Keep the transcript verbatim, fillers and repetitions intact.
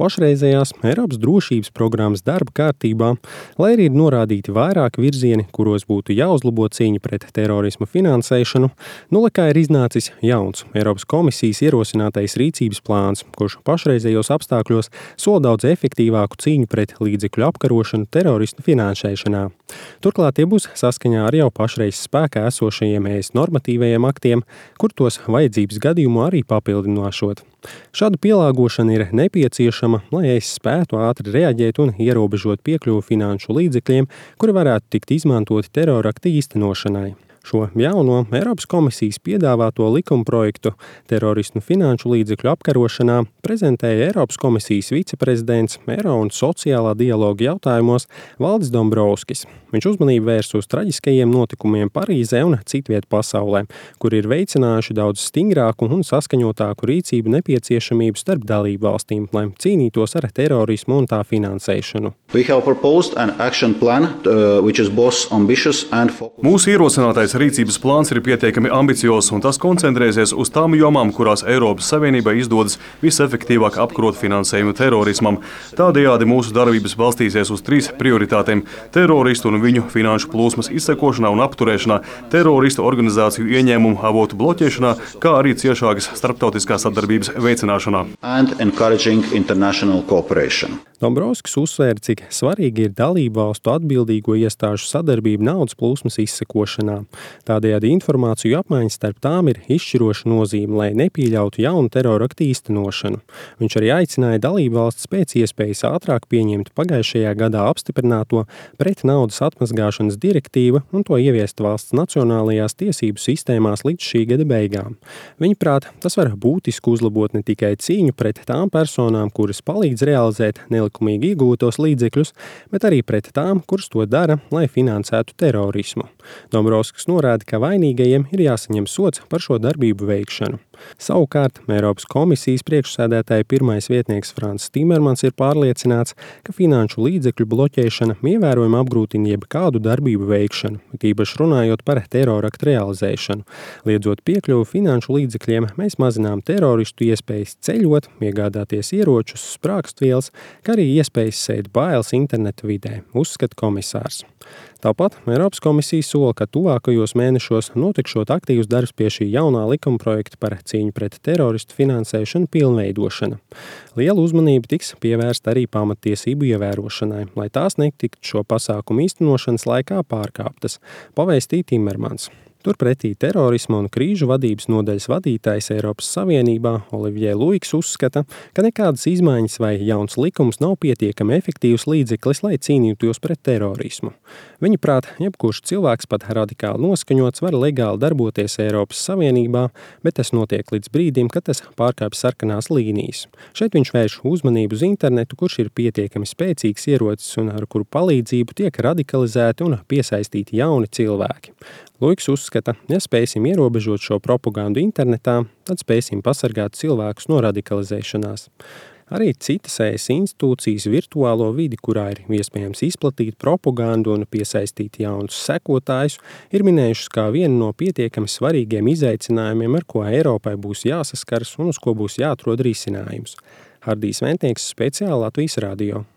Pašreizējās Eiropas drošības programmas darba kārtībā, lai arī ir norādīti vairāki virzieni, kuros būtu jāuzlabo cīņa pret terorisma finansēšanu, nolekā ir iznācis jauns Eiropas komisijas ierosinātais rīcības plāns, kurš pašreizējos apstākļos sola daudz efektīvāku cīņu pret līdzekļu apkarošanu teroristu finansēšanā. Turklāt tie būs saskaņā ar jau pašreiz spēkā esošajiem E S normatīvajiem aktiem, kur tos vajadzības gadījumu arī papildinošot. Šāda pielāgošana ir nepieciešama, lai E S spētu ātri reaģēt un ierobežot piekļuvi finanšu līdzekļiem, kuri varētu tikt izmantoti terorakta īstenošanai. Šo jauno Eiropas komisijas piedāvāto likumprojektu teroristu finanšu līdzekļu apkarošanā prezentēja Eiropas komisijas viceprezidents Eiro un sociālā dialoga jautājumos Valdis Dombrovskis. Viņš uzmanību vērs uz traģiskajiem notikumiem Parīzē un citviet pasaulē, kur ir veicinājuši daudz stingrāku un saskaņotāku rīcību nepieciešamību starp dalību valstīm, lai cīnītos ar terorismu un tā finansēšanu. Plan, uh, Mūsu ierosinātais rīcības plāns ir pietiekami ambiciozs, un tas koncentrēsies uz tām jomām, kurās Eiropas Savienībai izdodas visefektīvāk apkarot finansējumu terorismam. Tādējādi mūsu darbības balstīsies uz trīs prioritātēm – teroristu un viņu finanšu plūsmas izsekošanā un apturēšanā, teroristu organizāciju ieņēmumu avotu bloķēšanā, kā arī ciešākas starptautiskās sadarbības veicināšanā. Dombrovskis uzsvēra, cik svarīgi ir dalību valstu atbildīgo iestāžu sadarbība naudas plūsmas izsekošanā. Tādējādi informāciju apmaiņas starp tām ir izšķiroša nozīme, lai nepieļautu jaunu teroraktu īstenošanu. Viņš arī aicināja dalību valstis pēc iespējas ātrāk pieņemt pagājušajā gadā apstiprināto pret naudas atmazgāšanas direktīvu un to ieviest valsts nacionālajās tiesību sistēmās līdz šī gada beigām. Viņuprāt, tas var būtiski uzlabot ne tikai cīņu pret tām personām, kuras palīdz realizēt nelikumīgi iegūtos līdzekļus, bet arī pret tām, kuras to dara, lai finansētu terorismu. Dombrovskis norāda, ka vainīgajiem ir jāsaņem sods par šo darbību veikšanu. Savukārt, Eiropas komisijas priekšsēdētāja pirmais vietnieks Frans Timermans ir pārliecināts, ka finanšu līdzekļu bloķēšana ievērojami apgrūtina jebkādu darbību veikšanu, tīpaši runājot par teroraktu realizēšanu. Liedzot piekļuvi finanšu līdzekļiem, mēs mazinām teroristu iespējas ceļot, iegādāties ieročus, sprāgstvielas, kā arī iespējas sēt bailes interneta vidē, uzskata komisārs. Tāpat Eiropas komisija sola, ka tuvākajos mēnešos notikšot aktīvs darbs pie šī jaunā likumprojekta par cīņu pret teroristu finansēšanu pilnveidošana. Liela uzmanība tiks pievērsta arī pamattiesību ievērošanai, lai tās netiktu šo pasākumu īstenošanas laikā pārkāptas, pavēstīja Timermans. Turpretī terorisma un krīžu vadības nodaļas vadītājs Eiropas Savienībā Olivier Luiks uzskata, ka nekādas izmaiņas vai jauns likums nav pietiekami efektīvs līdzeklis, lai cīnītos pret terorismu. Viņa prāt, jebkurš cilvēks pat radikāli noskaņots var legāli darboties Eiropas Savienībā, bet tas notiek līdz brīdim, kad tas pārkāpj sarkanās līnijas. Šeit viņš vērš uzmanību uz internetu, kurš ir pietiekami spēcīgs ierocis un ar kuru palīdzību tiek radikalizēti un piesaistīti jauni cilvēki. Luiks uzskata, ja spēsim ierobežot šo propagandu internetā, tad spēsim pasargāt cilvēkus no radikalizēšanās. Arī citas E S institūcijas virtuālo vidi, kurā ir iespējams izplatīt propagandu un piesaistīt jaunus sekotājus, ir minējušas kā vienu no pietiekami svarīgiem izaicinājumiem, ar ko Eiropai būs jāsaskars un uz ko būs jāatrod risinājums. Hardijs Ventnieks, speciāli Latvijas radio.